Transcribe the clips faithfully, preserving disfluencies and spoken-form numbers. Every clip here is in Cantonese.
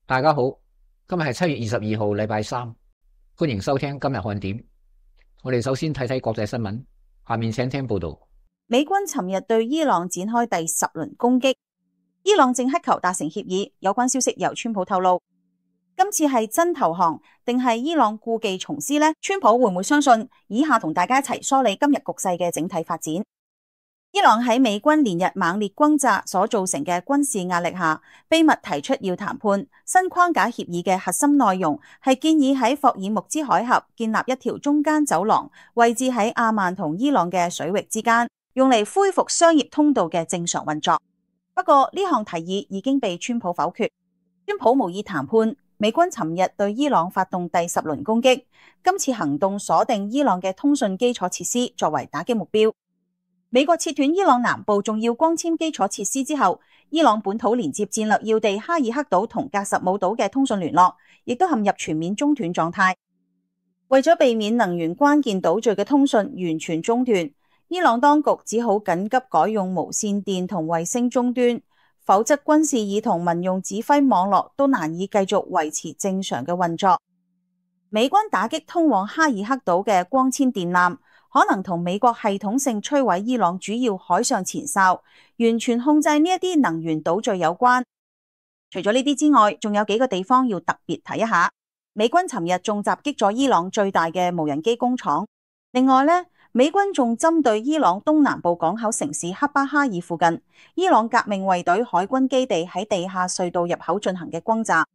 大家好，今日係七月二十二號，禮拜三，歡迎收聽今日看點。我哋首先睇睇國際新聞，下面請聽報道。美軍尋日對伊朗展開第十輪攻擊，伊朗正乞求達成協議。有關消息由川普透露，今次係真投降定係伊朗故技重施呢？川普會唔會相信？以下同大家一齊梳理今日局勢嘅整體發展。伊朗喺美軍連日猛烈轟炸所造成嘅軍事壓力下，秘密提出要談判。新框架協議嘅核心內容係建議喺霍爾木茲海峽建立一條中間走廊，位置喺阿曼同伊朗嘅水域之間，用嚟恢復商業通道嘅正常運作。不過呢項提議已經被川普否決。川普無意談判。美軍尋日對伊朗發動第十輪攻擊，今次行動鎖定伊朗嘅通訊基礎設施作為打擊目標。美國切斷伊朗南部重要光纖基礎設施之後，伊朗本土連接戰略要地哈爾克島同格什姆島嘅通訊聯絡，亦都陷入全面中斷狀態。為咗避免能源關鍵島嶼嘅通訊完全中斷，伊朗當局只好緊急改用無線電同衛星終端，否則軍事耳同民用指揮網絡都難以繼續維持正常嘅運作。美軍打擊通往哈爾克島嘅光纖電纜，可能同美國系統性摧毀伊朗主要海上前哨，完全控制呢一啲能源島嶼有關。除咗呢啲之外，仲有幾個地方要特別睇一下。美軍尋日仲襲擊咗伊朗最大嘅無人機工廠。另外呢，美軍仲針對伊朗東南部港口城市克巴哈爾附近，伊朗革命衛隊海軍基地喺地下隧道入口進行嘅轟炸。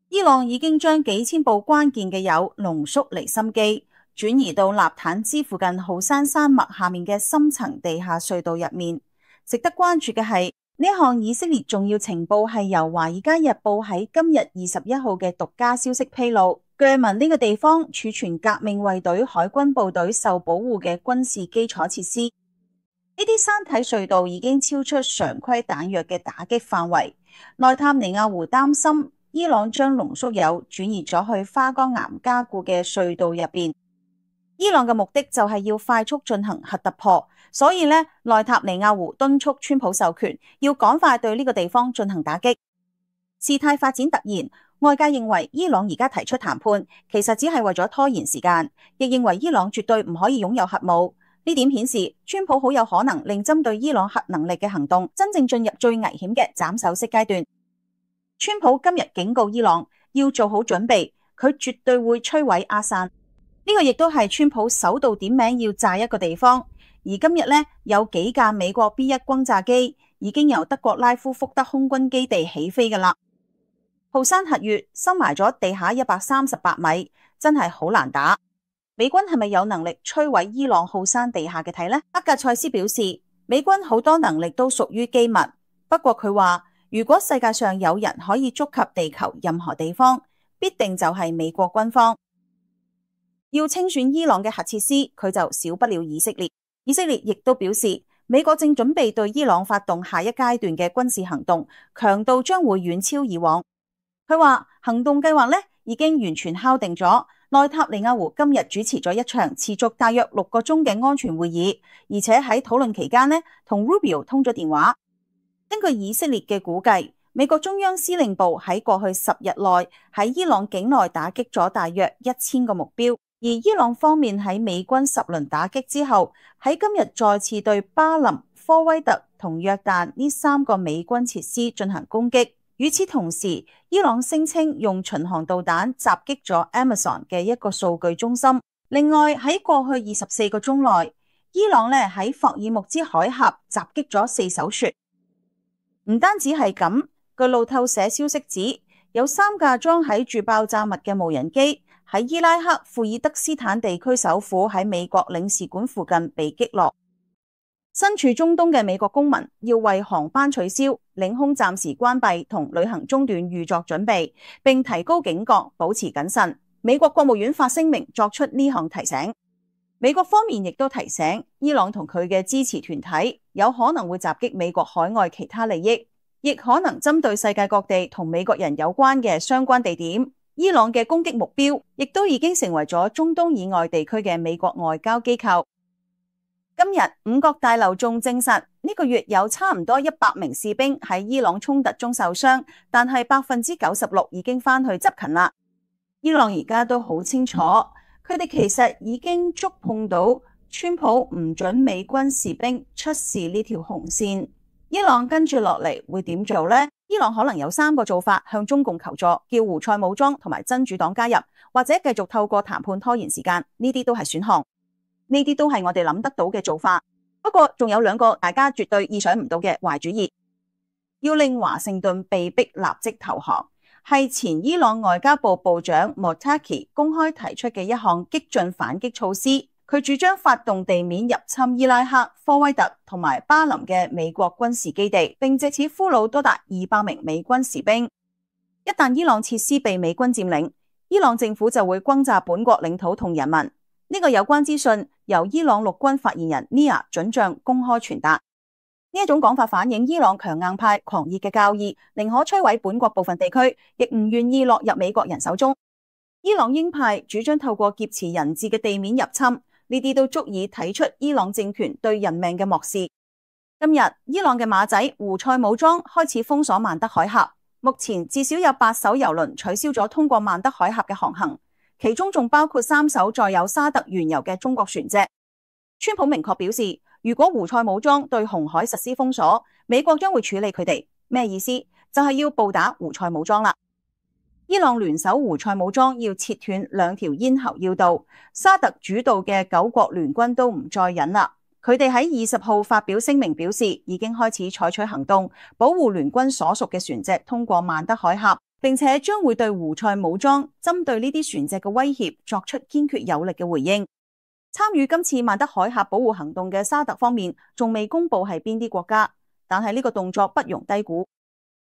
伊朗已經將幾千部關鍵嘅鈾濃縮離心機轉移到納坦茲附近浩山山脈下面嘅深層地下隧道入面。值得關注嘅係，呢項以色列重要情報係由《華爾街日報》喺今日二十一號嘅獨家消息披露，據聞呢個地方儲存革命衛隊海軍部隊受保護嘅軍事基礎設施。呢啲山體隧道已經超出常規彈藥嘅打擊範圍。內塔尼亞胡擔心伊朗將濃縮鈾轉移咗去花崗岩加固嘅隧道入邊。伊朗嘅目的就係要快速進行核突破，所以呢，內塔尼亞胡敦促川普授權，要趕快對呢個地方進行打擊。事態發展突然，外界認為伊朗而家提出談判，其實只係為咗拖延時間，亦認為伊朗絕對唔可以擁有核武。呢點顯示，川普好有可能令針對伊朗核能力嘅行動真正進入最危險嘅斬首式階段。川普今日警告伊朗要做好準備，佢絕對會摧毀阿薩。呢個亦都係川普首度點名要炸一個地方。而今日呢，有幾架美國 B 一 轟炸機已經由德國拉夫福德空軍基地起飛㗎喇。浩山核穴深埋咗地下一百三十八米，真係好難打。美軍係咪有能力摧毀伊朗浩山地下嘅體呢？克格塞斯表示，美軍好多能力都屬於機密。不過佢話，如果世界上有人可以觸及地球任何地方，必定就係美國軍方。要清算伊朗嘅核設施，佢就少不了以色列。以色列亦都表示，美國正準備對伊朗發動下一階段嘅軍事行動，強度將會遠超以往。佢話行動計劃呢已經完全敲定咗。內塔尼亞胡今日主持咗一場持續大約六個鐘嘅安全會議，而且喺討論期間呢同 Rubio 通咗電話。根據以色列嘅估計，美國中央司令部喺過去十日內喺伊朗境內打擊咗大約一千個目標。而伊朗方面喺美軍十輪打擊之後，喺今日再次對巴林、科威特同約旦呢三個美軍設施進行攻擊。與此同時，伊朗聲稱用巡航導彈襲擊咗 Amazon 嘅一個數據中心。另外喺過去二十四個鐘內，伊朗咧喺霍爾木茲海峽襲擊咗四艘船。唔單止係咁，據路透社消息指，有三架裝喺住爆炸物嘅無人機喺伊拉克庫爾德斯坦地區首府喺美國領事館附近被擊落。身處中東嘅美國公民要為航班取消、領空暫時關閉同旅行中斷預作準備，並提高警覺，保持謹慎。美國國務院發聲明作出呢項提醒。美國方面亦都提醒伊朗同佢嘅支持團體有可能會襲擊美國海外其他利益，亦可能針對世界各地同美國人有關嘅相關地點。伊朗嘅攻擊目標亦都已經成為咗中東以外地區嘅美國外交機構。今日五角大樓仲證實，呢個月有差唔多一百名士兵喺伊朗衝突中受傷，但係百分之九十六已經翻去執勤啦。伊朗而家都好清楚，佢哋其實已經觸碰到川普唔准美軍士兵出示呢條紅線。伊朗跟住落嚟會點做呢？伊朗可能有三個做法向中共求助，叫胡塞武裝同埋真主黨加入，或者繼續透過談判拖延時間。呢啲都係選項，呢啲都係我哋諗得到嘅做法。不過仲有兩個大家絕對意想唔到嘅壞主意，要令華盛頓被逼立即投降，係前伊朗外交部部長莫塔基公開提出嘅一項激進反擊措施。佢主張發動地面入侵伊拉克、科威特同埋巴林嘅美國軍事基地，並藉此俘虜多達二百名美軍士兵。一旦伊朗設施被美軍佔領，伊朗政府就會轟炸本國領土同人民。呢個有關資訊由伊朗陸軍發言人尼亞准將公開傳達。呢一種講法反映伊朗強硬派狂熱嘅教義，寧可摧毀本國部分地區，亦唔願意落入美國人手中。伊朗鷹派主張透過劫持人質嘅地面入侵。呢啲都足以睇出伊朗政權對人命嘅漠視。今日伊朗嘅馬仔胡塞武裝開始封鎖曼德海峽，目前至少有八艘油輪取消咗通過曼德海峽嘅航行，其中仲包括三艘載有沙特原油嘅中國船隻。川普明確表示，如果胡塞武裝對紅海實施封鎖，美國將會處理佢哋。咩意思？就係要暴打胡塞武裝啦。伊朗聯手胡塞武裝要切斷兩條咽喉要道，沙特主導嘅九國聯軍都唔再忍啦。佢哋喺二十號發表聲明，表示已經開始採取行動，保護聯軍所屬嘅船隻通過曼德海峽，並且將會對胡塞武裝針對呢啲船隻嘅威脅作出堅決有力嘅回應。參與今次曼德海峽保護行動嘅沙特方面仲未公布係邊啲國家，但係呢個動作不容低估。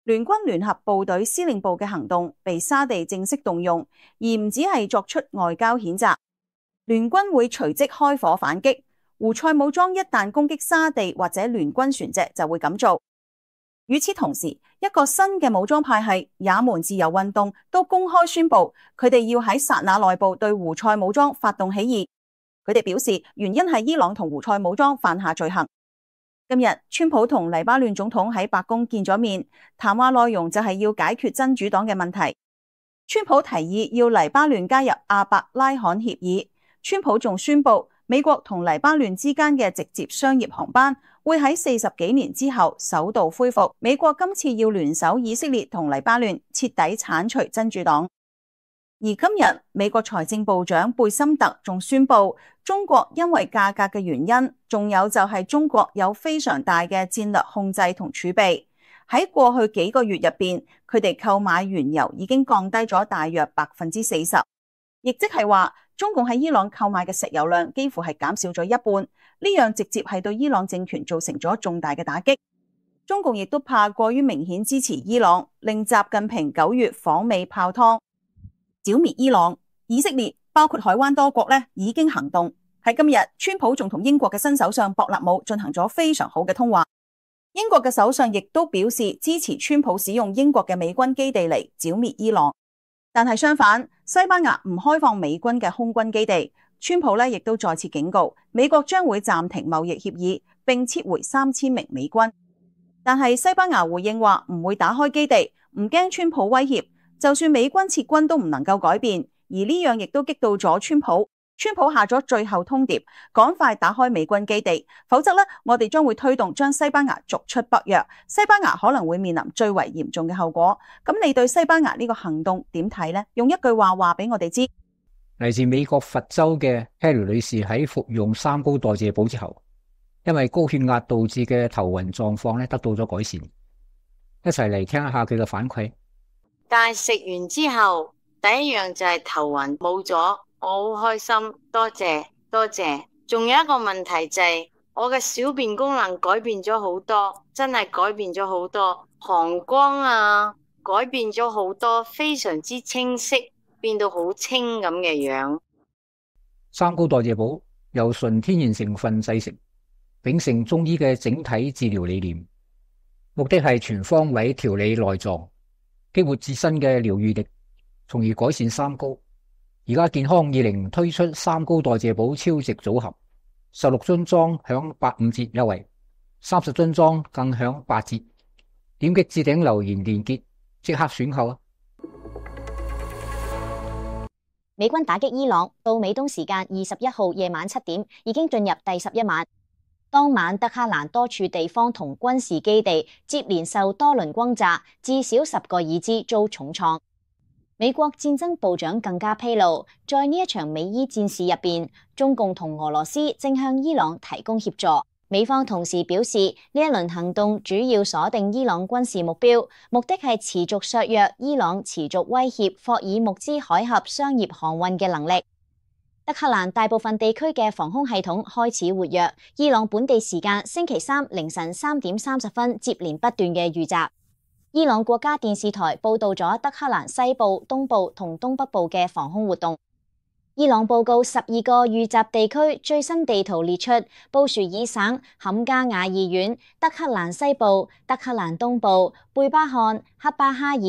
聯軍聯合部隊司令部嘅行動被沙地正式動用，而唔只係作出外交譴責。聯軍會隨即開火反擊，胡塞武裝一旦攻擊沙地或者聯軍船隻就會咁做。與此同時，一個新嘅武裝派系也門自由運動都公開宣布，佢哋要喺薩那內部對胡塞武裝發動起義。佢哋表示原因係伊朗同胡塞武裝犯下罪行。今日川普同黎巴嫩總統喺白宮見咗面，談話內容就係要解決真主黨嘅問題。川普提議要黎巴嫩加入阿伯拉罕協議。川普仲宣布美國同黎巴嫩之間嘅直接商業航班會喺四十幾年之後首度恢復。美國今次要聯手以色列同黎巴嫩徹底鏟除真主黨。而今日美國財政部長貝森特仲宣布，中國因為價格嘅原因，仲有就係中國有非常大嘅戰略控制同儲備。喺過去幾個月入邊，佢哋購買原油已經降低咗大約百分之四十，亦即係話中共喺伊朗購買嘅石油量幾乎係減少咗一半。呢樣直接係對伊朗政權造成咗重大嘅打擊。中共亦都怕過於明顯支持伊朗，令習近平九月訪美泡湯剿滅伊朗。以色列包括海灣多國咧已經行動。喺今日，川普仲同英國嘅新首相博納姆進行咗非常好嘅通話。英國嘅首相亦都表示支持川普使用英國嘅美軍基地嚟剿滅伊朗。但係相反，西班牙唔開放美軍嘅空軍基地。川普咧亦都再次警告，美國將會暫停貿易協議，並撤回三千名美軍。但係西班牙回應話唔會打開基地，唔驚川普威脅。就算美軍撤軍都唔能夠改變，而呢樣亦都激到咗川普。川普下咗最後通牒，趕快打開美軍基地，否則呢，我哋將會推動將西班牙逐出北約，西班牙可能會面臨最為嚴重嘅後果。咁你對西班牙呢個行動點睇呢？用一句話話俾我哋知。嚟自美國佛州嘅 Harry 女士喺服用三高代謝寶之後，因為高血壓導致嘅頭暈狀況咧得到咗改善。一齊嚟聽一下佢嘅反饋。但係食完之後，第一樣就係頭暈冇咗，我好開心，多謝多謝。仲有一個問題就係、是、我嘅小便功能改變咗好多，真係改變咗好多，膀胱啊改變咗好多，非常之清晰，變到好清咁嘅樣。三高代謝寶由純天然成分製成，秉承中醫嘅整體治療理念，目的係全方位調理內臟，激活自身嘅療癒力，從而改善三高。而家健康二零推出三高代謝寶超值組合，十六樽裝享八五折優惠，三十樽裝更享八折。點擊置頂留言連結，即刻選購啊！美軍打擊伊朗，到美東時間二十一號夜晚七點，已經進入第十一晚。當晚德黑蘭多處地方同軍事基地接連受多輪轟炸，至少十個已知遭重創。美國戰爭部長更加披露，在呢一場美伊戰事入邊，中共同俄羅斯正向伊朗提供協助。美方同時表示，呢一輪行動主要鎖定伊朗軍事目標，目的係持續削弱伊朗持續威脅霍爾木茲海峽商業航運嘅能力。德黑蘭大部分地區嘅防空系統開始活躍，伊朗本地時間星期三凌晨三點三十分接連不斷嘅遇襲。伊朗國家電視台報道咗德黑蘭西部、東部同東北部嘅防空活動。伊朗報告十二個遇襲地區最新地圖列出布殊爾省坎加瓦爾縣、德黑蘭西部、德黑蘭東部、貝巴漢、克巴哈爾、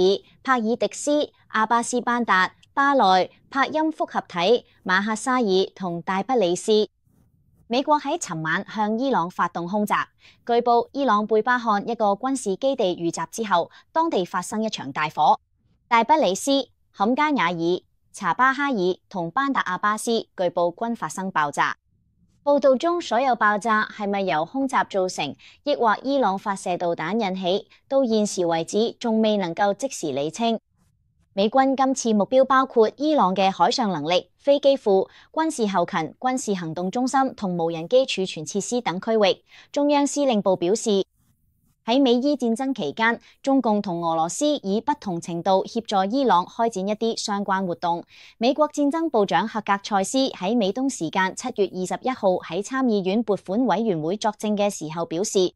帕爾迪斯、阿巴斯班達、巴內、帕欽複合體、馬哈沙爾同大不里斯。美國喺尋晚向伊朗發動空襲，據報伊朗貝巴漢一個軍事基地遇襲之後，當地發生一場大火。大不里斯、坎加瓦爾、查巴哈爾同班達阿巴斯據報均發生爆炸。報道中所有爆炸係咪由空襲造成，抑或伊朗發射導彈引起，到現時為止仲未能夠即時理清。美軍今次目標包括伊朗嘅海上能力、飛機庫、軍事後勤、軍事行動中心同無人機儲存設施等區域。中央司令部表示，喺美伊戰爭期間，中共同俄羅斯以不同程度協助伊朗開展一啲相關活動。美國戰爭部長赫格塞斯喺美東時間七月二十一號喺參議院撥款委員會作證嘅時候表示，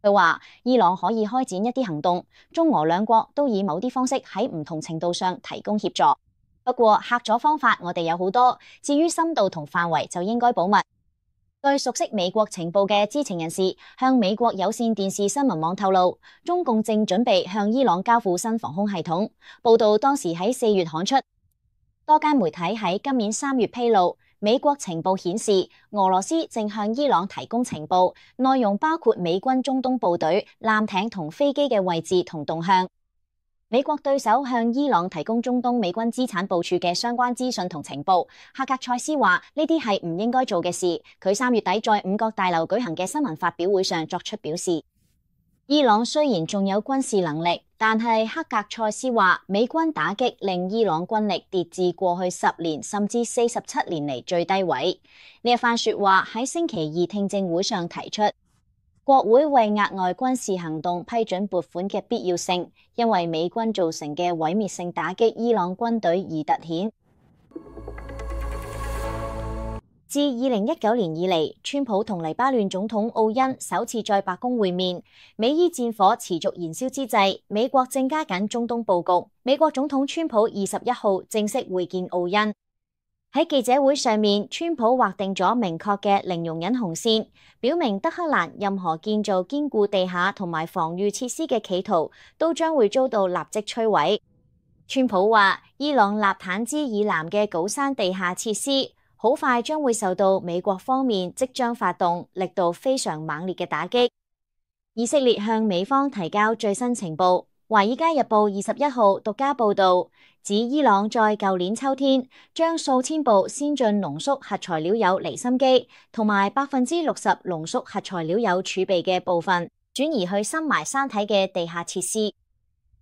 佢話伊朗可以開展一啲行動，中俄兩國都以某啲方式喺唔同程度上提供協助。不過嚇阻方法我哋有好多，至於深度同範圍就應該保密。據熟悉美國情報嘅知情人士向美國有線電視新聞網透露，中共正準備向伊朗交付新防空系統。報道當時喺四月刊出。多間媒體喺今年三月披露，美國情報顯示俄羅斯正向伊朗提供情報，內容包括美軍中東部隊、艦艇同飛機嘅位置同動向。美國對手向伊朗提供中東美軍資產部署嘅相關資訊同情報。赫格塞斯話呢啲係唔應該做嘅事。佢三月底在五角大樓舉行嘅新聞發表會上作出表示。伊朗雖然仲有軍事能力，但係赫格塞斯話美軍打擊令伊朗軍力跌至過去十年甚至四十七年嚟最低位。呢一番說話喺星期二聽證會上提出。國會為額外軍事行動批准撥款嘅必要性，因為美軍造成嘅毀滅性打擊伊朗軍隊而突顯。自二零一九年以嚟，川普同黎巴嫩總統奧恩首次在白宮會面。美伊戰火持續燃燒之際，美國正加緊中東佈局。美國總統川普二十一號正式會見奧恩。喺記者會上面，川普劃定咗明確嘅零容忍紅線，表明德黑蘭任何建造堅固地下同埋防禦設施嘅企圖，都將會遭到立即摧毀。川普話，伊朗納坦茲以南嘅高山地下設施，好快將會受到美國方面即將發動、力度非常猛烈嘅打擊。以色列向美方提交最新情報。《華爾街日報》二十一號獨家報導，指伊朗在舊年秋天將數千部先進濃縮核材料鈾離心機同埋百分之六十濃縮核材料鈾儲備嘅部分轉移去深埋山體嘅地下設施。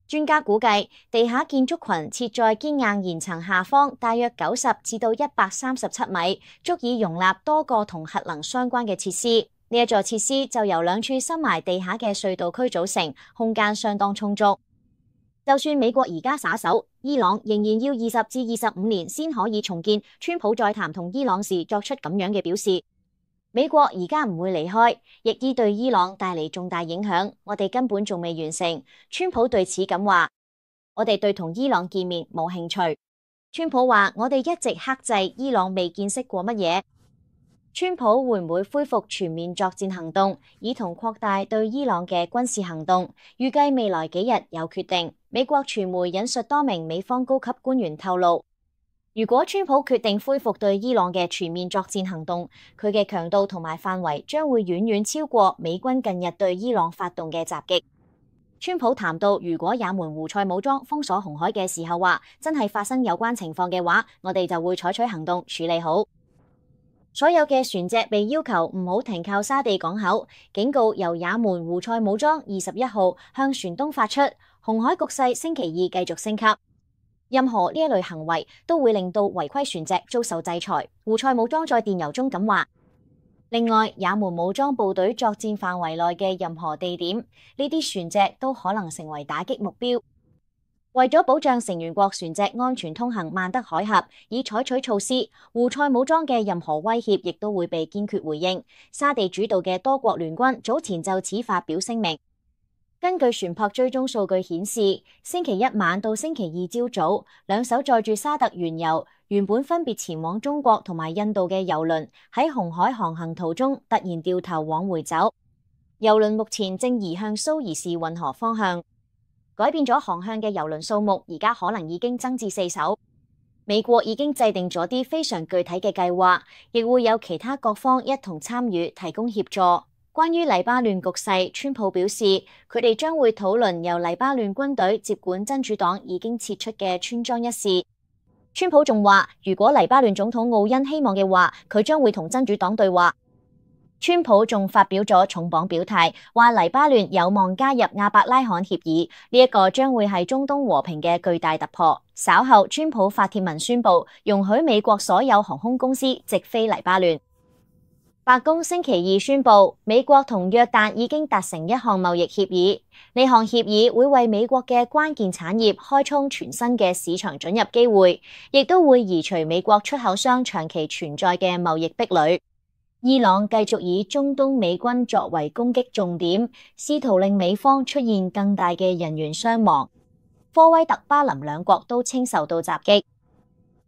專家估計，地下建築群設在堅硬岩層下方，大約九十至到一百三十七米，足以容納多個同核能相關嘅設施。呢一座設施就由兩處深埋地下嘅隧道區組成，空間相當充足。就算美國而家撒手，伊朗仍然要二十至二十五年先可以重建。川普在談同伊朗時作出咁樣嘅表示。美國而家唔會離開，亦依對伊朗帶嚟重大影響。我哋根本仲未完成。川普對此咁話：我哋對同伊朗見面冇興趣。川普話：我哋一直克制伊朗未見識過乜嘢。川普會唔會恢復全面作戰行動，以同擴大對伊朗嘅軍事行動？預計未來幾日有決定。美國傳媒引述多名美方高級官員透露，如果川普決定恢復對伊朗嘅全面作戰行動，佢嘅強度同埋範圍將會遠遠超過美軍近日對伊朗發動嘅襲擊。川普談到，如果也門胡塞武裝封鎖紅海嘅時候話，真係發生有關情況嘅話，我哋就會採取行動處理好。所有嘅船隻被要求唔好停靠沙地港口，警告由也門胡塞武裝二十一號向船東發出，紅海局勢星期二繼續升級。任何呢一類行為都會令到違規船隻遭受制裁。胡塞武裝在電郵中咁話。另外，也門武裝部隊作戰範圍內嘅任何地點，呢啲船隻都可能成為打擊目標。為咗保障成員國船隻安全通行曼德海峽，以採取措施，胡塞武裝嘅任何威脅亦都會被堅決回應。沙地主導嘅多國聯軍早前就此發表聲明。根據船舶追蹤數據顯示，星期一晚到星期二朝早，兩艘載住沙特原油、原本分別前往中國同埋印度嘅油輪喺紅海航行途中突然掉頭往回走，油輪目前正移向蘇伊士運河方向。改變咗航向嘅油輪數目而家可能已經增至四艘。美國已經制定咗啲非常具體嘅計劃，亦會有其他各方一同參與提供協助。關於黎巴嫩局勢，川普表示佢哋將會討論由黎巴嫩軍隊接管真主黨已經撤出嘅村莊一事。川普仲話，如果黎巴嫩總統奧恩希望嘅話，佢將會同真主黨對話。川普仲發表咗重磅表態，話黎巴嫩有望加入亞伯拉罕協議，呢一個將會係中東和平嘅巨大突破。稍後，川普發帖文宣布容許美國所有航空公司直飛黎巴嫩。白宮星期二宣布，美國同約旦已經達成一項貿易協議，呢項協議會為美國嘅關鍵產業開創全新嘅市場准入機會，亦都會移除美國出口商長期存在嘅貿易壁壘。伊朗繼續以中東美軍作為攻擊重點，試圖令美方出現更大嘅人員傷亡。科威特、巴林兩國都稱受到襲擊。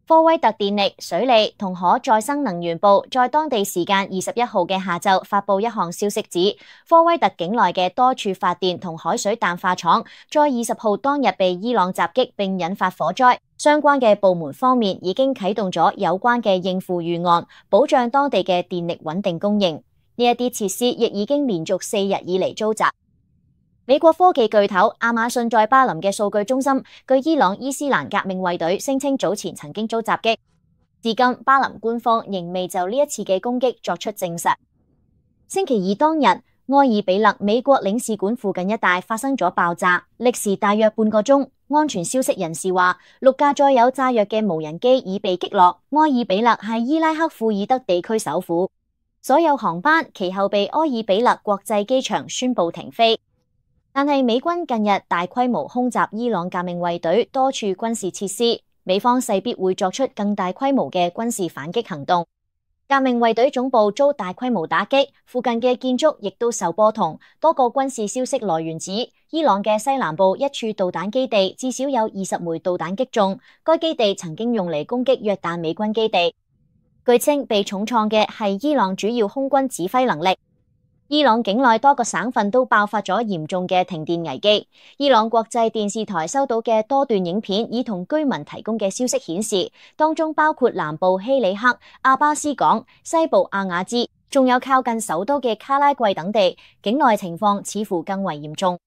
科威特電力、水利同可再生能源部在當地時間二十一號嘅下晝發布一項消息指，科威特境內嘅多處發電同海水淡化廠在二十號當日被伊朗襲擊並引發火災。相關嘅部門方面已經啟動咗有關嘅應付預案，保障當地嘅電力穩定供應。呢一啲設施亦已經連續四日以嚟遭襲。美國科技巨頭亞馬遜在巴林嘅數據中心，據伊朗伊斯蘭革命衛隊聲稱早前曾經遭襲擊。至今，巴林官方仍未就呢一次嘅攻擊作出證實。星期二當日，埃爾比勒美國領事館附近一帶發生咗爆炸，歷時大約半個鐘。安全消息人士話，六架載有炸藥嘅無人機已被擊落。埃爾比勒係伊拉克庫爾德地區首府，所有航班其後被埃爾比勒國際機場宣布停飛。但係美軍近日大規模空襲伊朗革命衛隊多處軍事設施，美方勢必會作出更大規模嘅軍事反擊行動。革命衛隊總部遭大規模打擊，附近嘅建築亦都受波動。多個軍事消息來源指，伊朗嘅西南部一處導彈基地至少有二十枚導彈擊中，該基地曾經用嚟攻擊約旦美軍基地。據稱被重創嘅係伊朗主要空軍指揮能力。伊朗境內多個省份都爆發咗嚴重嘅停電危機。伊朗國際電視台收到嘅多段影片，以同居民提供嘅消息顯示，當中包括南部希里克、阿巴斯港、西部阿瓦茲，仲有靠近首都嘅卡拉季等地，境內情況似乎更為嚴重。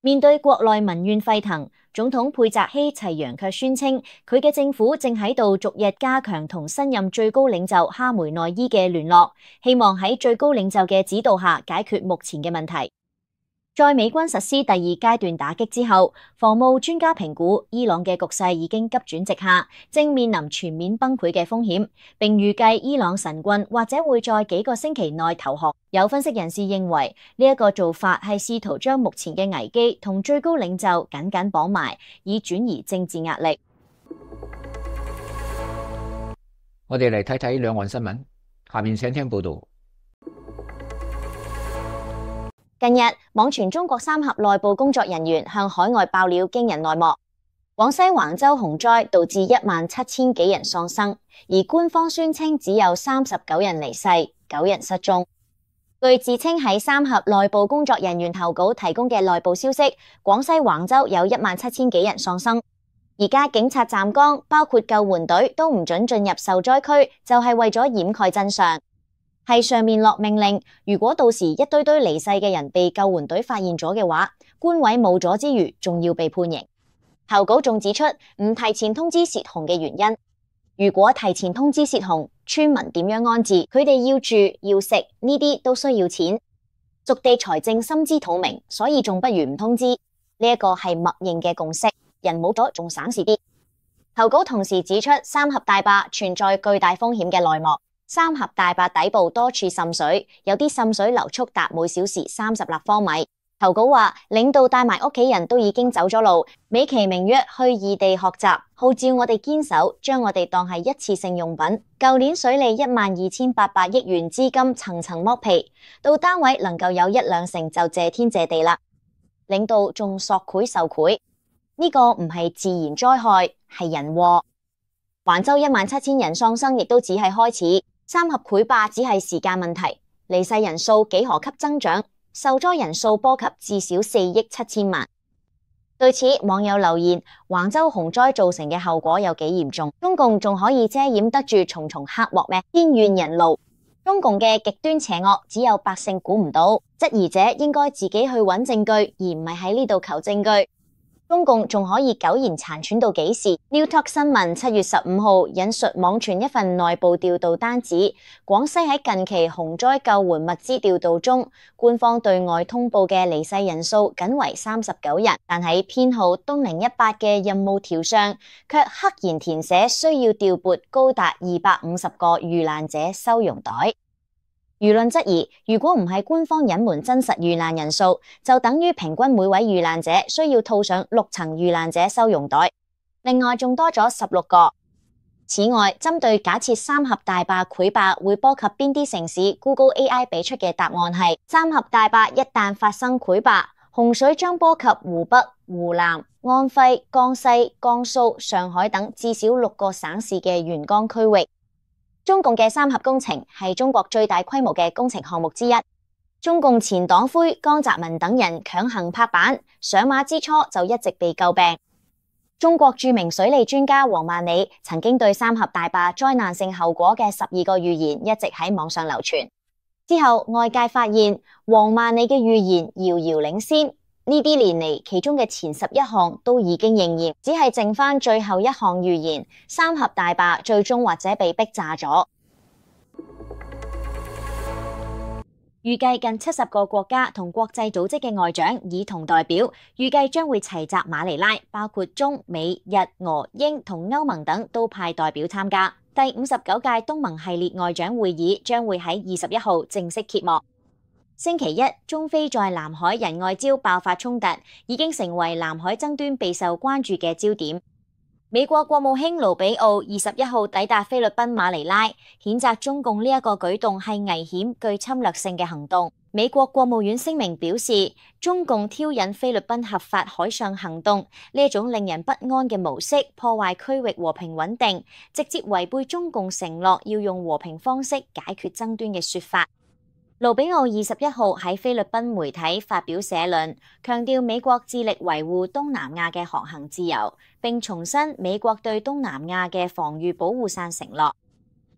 面對國內民怨沸騰，總統佩澤希齊揚卻宣稱，佢嘅政府正喺度逐日加強同新任最高領袖哈梅內伊嘅聯絡，希望喺最高領袖嘅指導下解決目前嘅問題。在美軍實施第二階段打擊之後，防務專家評估伊朗嘅局勢已經急轉直下，正面臨全面崩潰嘅風險，並預計伊朗神棍或者會在幾個星期內投降。有分析人士認為，呢一個做法係試圖將目前嘅危機同最高領袖緊緊綁埋，以轉移政治壓力。我哋嚟睇睇兩岸新聞，下面請聽報道。近日，網傳中國三峽內部工作人員向海外爆料驚人內幕。廣西橫州洪災導致一萬七千幾人喪生，而官方宣稱只有三十九人離世，九人失蹤。據自稱喺三峽內部工作人員投稿提供嘅內部消息，廣西橫州有一萬七千幾人喪生。而家警察站崗，包括救援隊都唔准進入受災區，就係為咗掩蓋真相。係上面落命令，如果到時一堆堆離世嘅人被救援隊發現咗嘅話，官位冇咗之餘，仲要被判刑。投稿仲指出唔提前通知洩洪嘅原因。如果提前通知洩洪，村民點樣安置？佢哋要住要食呢啲都需要錢。屬地財政心知肚明，所以仲不如唔通知。呢一個係默認嘅共識。人冇咗仲省事啲。投稿同時指出三峽大壩存在巨大風險嘅內幕。三峽大壩底部多處滲水，有啲滲水流速達每小時三十立方米。投稿話領導帶埋屋企人都已經走咗路，美其名曰去異地學習，號召我哋堅守，將我哋當係一次性用品。舊年水利一萬二千八百億元資金層層剝皮，到單位能夠有一兩成就謝天謝地啦。領導仲索賄受賄。呢個唔係自然災害，係人禍。橫州一萬七千人喪生，亦都只係開始。三峽潰壩只係時間問題，離世人數幾何級增長，受災人數波及至少四億七千萬。對此，網友留言：橫州洪災造成嘅後果有幾嚴重？中共仲可以遮掩得住重重黑禍咩？天怨人怒。中共嘅極端邪惡，只有百姓估唔到。質疑者應該自己去揾證據，而唔係喺呢度求證據。中共仲可以苟延殘喘到幾時 ？Newtalk 新聞七月十五號引述網傳一份內部調度單指，廣西喺近期洪災救援物資調度中，官方對外通報嘅離世人數僅為三十九人，但喺編號東零一八嘅任務條上，卻刻意填寫需要調撥高達二百五十個遇難者收容袋。輿論質疑，如果唔係官方隱瞞真實遇難人數，就等於平均每位遇難者需要套上六層遇難者收容袋，另外仲多咗十六個。此外，針對假設三峽大壩潰壩會波及邊啲城市 ，Google A I 俾出嘅答案係：三峽大壩一旦發生潰壩，洪水將波及湖北、湖南、安徽、江西、江蘇、上海等至少六個省市嘅沿江區域。中共嘅三峽工程係中國最大規模嘅工程項目之一。中共前黨魁江澤民等人強行拍板，上馬之初就一直被詬病。中國著名水利專家王萬里曾經對三峽大壩災難性後果嘅十二個預言一直喺網上流傳。之後外界發現王萬里嘅預言遙遙領先。呢啲年嚟，其中嘅前十一項都已經應驗，只係剩翻最後一項預言：三峽大壩最終或者被逼炸咗。預計近七十個國家同國際組織嘅外長以同代表，預計將會齊集馬尼拉，包括中美日俄英同歐盟等都派代表參加。第五十九屆東盟系列外長會議將會喺二十一號正式揭幕。星期一，中非在南海仁愛礁爆發衝突，已經成為南海爭端備受關注嘅焦點。美國國務卿盧比奧二十一號抵達菲律賓馬尼拉，譴責中共呢一個舉動係危險、具侵略性嘅行動。美國國務院聲明表示，中共挑釁菲律賓合法海上行動呢一種令人不安嘅模式，破壞區域和平穩定，直接違背中共承諾要用和平方式解決爭端嘅說法。盧比奧二十一號喺菲律賓媒體發表社論，強調美國致力維護東南亞嘅航行自由，並重申美國對東南亞嘅防禦保護傘承諾。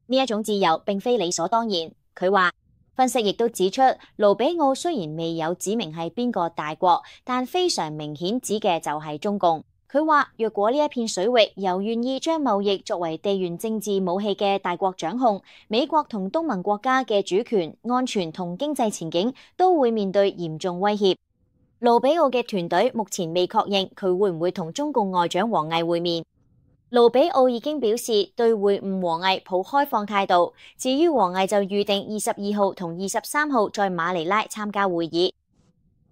呢一種自由並非理所當然。佢話，分析亦都指出，盧比奧雖然未有指明係邊個大國，但非常明顯指嘅就係中共。佢話，若果呢一片水域由願意將貿易作為地緣政治武器嘅大國掌控，美國同東盟國家嘅主權、安全同經濟前景都會面對嚴重威脅。盧比奧嘅團隊目前未確認佢會唔會同中共外長王毅會面。盧比奧已經表示對會晤王毅抱開放態度，至於王毅就預定二十二號同二十三號在馬尼拉參加會議。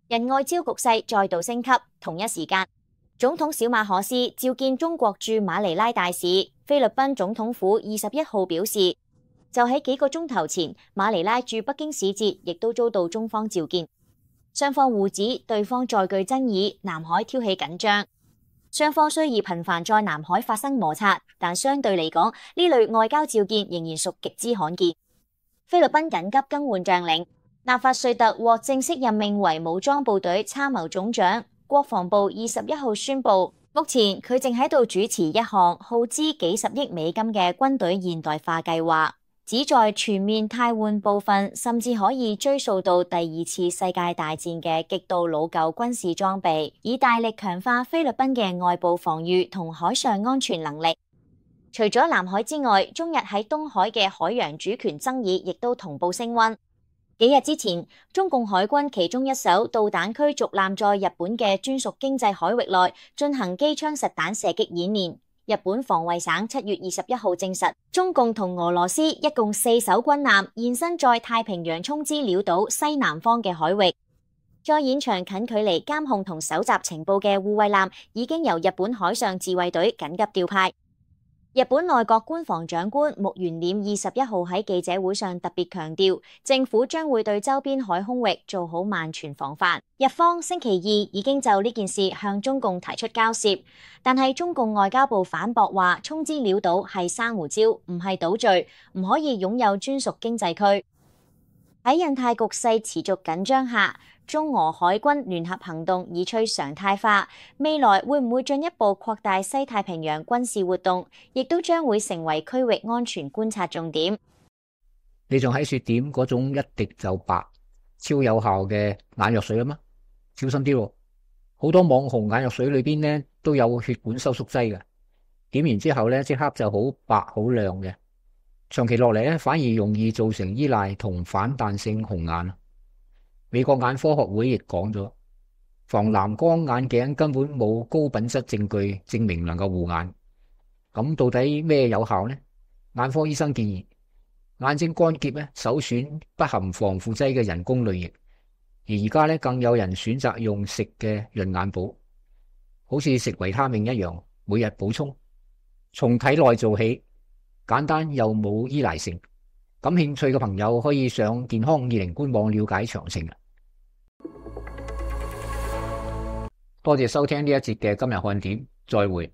仁愛礁局勢再度升級，同一時間，總統小馬可斯召見中國駐馬尼拉大使。菲律賓總統府二十一號表示，就喺幾個鐘頭前，馬尼拉駐北京使節亦都遭到中方召見。雙方互指對方再具爭議，南海挑起緊張。雙方雖已頻繁在南海發生摩擦，但相對嚟講，呢類外交召見仍然屬極之罕見。菲律賓緊急更換將領，納法瑞特獲正式任命為武裝部隊參謀總長。國防部二十一號宣布，目前佢正喺度主持一項耗資幾十億美金嘅軍隊現代化計劃，旨在全面汰換部分甚至可以追溯到第二次世界大戰嘅極度老舊軍事裝備，以大力強化菲律賓嘅外部防禦同海上安全能力。除咗南海之外，中日喺東海嘅海洋主權爭議亦都同步升溫。幾日之前，中共海軍其中一艘導彈驅逐艦在日本嘅專屬經濟海域內進行機槍實彈射擊演練。日本防衛省七月二十一號證實，中共同俄羅斯一共四艘軍艦現身在太平洋沖之鳥島西南方嘅海域。在現場近距離監控同搜集情報嘅護衛艦已經由日本海上自衛隊緊急調派。日本內閣官房長官木原稔二十一號喺記者會上特別強調，政府將會對周邊海空域做好萬全防範。日方星期二已經就呢件事向中共提出交涉，但係中共外交部反駁話，沖之鳥島係珊瑚礁，唔係島嶼，唔可以擁有專屬經濟區。喺印太局勢持續緊張下，中俄海軍聯合行動已趨常態化，未來會唔會進一步擴大西太平洋軍事活動，亦都將會成為區域安全觀察重點。你仲喺說點嗰種一滴就白、超有效嘅眼藥水啊嘛？小心啲喎，好多網紅眼藥水裏邊呢都有血管收縮劑嘅，點完之後呢即刻就好白好亮嘅，長期落嚟咧反而容易造成依賴同反彈性紅眼。美國眼科學會亦講咗，防藍光眼鏡根本冇高品質證據證明能夠護眼。咁到底咩有效呢？眼科醫生建議，眼睛乾澀咧首選不含防腐劑嘅人工淚液，而而家咧更有人選擇用食嘅潤眼寶，好似食維他命一樣，每日補充，從體內做起，簡單又冇依賴性。感興趣嘅朋友可以上健康二零官網了解詳情。多謝收聽呢一節嘅今日看點，再會。